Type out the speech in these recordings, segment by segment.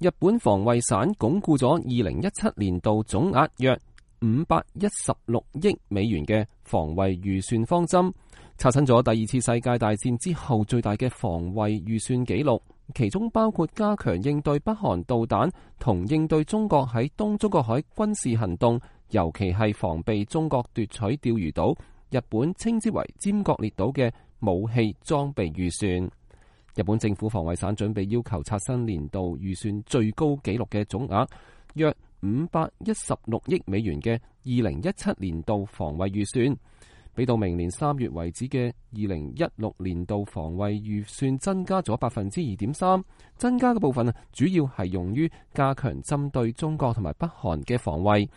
日本防衛省鞏固咗2017年度總額約516億美元嘅防衛預算方針，刷新咗第二次世界大戰之後最大嘅防衛預算紀錄，其中包括加強應對北韓導彈同應對中國喺東中國海軍事行動，尤其係防備中國奪取釣魚島，日本稱之為尖閣列島嘅武器裝備預算。日本政府防衛省準備要求刷新年度預算最高紀錄嘅總額約516億美元嘅2017年度防衛預算，比到明年3月為止嘅2016年度防衛預算增加咗2.3%，增加嘅部分主要係用於加強針對中國同埋北韓嘅防衛，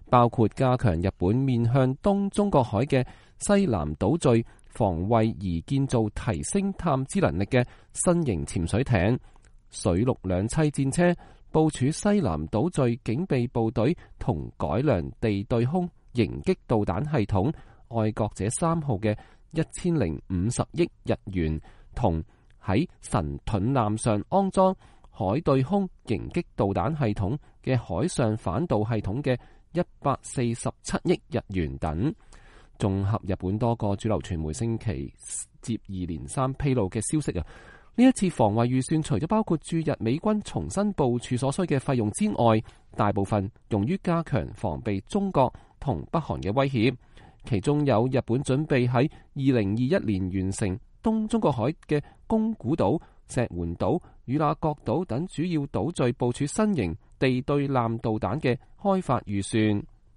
包括加強日本面向東中國海嘅西南島嶼防衛而建造提升探知能力嘅新型潛水艇、水陸兩棲戰車，部署西南島嶼警備部隊同改良地對空迎擊導彈系統愛國者3號嘅1050億日元，同喺神盾艦上安裝海對空迎擊導彈系統嘅海上反導系統嘅147億日元等。綜合日本多個主流傳媒星期接二連三披露嘅消息啊，呢一次防衛預算除咗包括駐日美軍重新部署所需嘅費用之外，大部分用於加強防備中國同北韓嘅威脅，其中有日本準備喺2021年完成東中國海嘅宮古島、石垣島、與那國島等主要島嶼部署新型地對艦導彈嘅開發預算。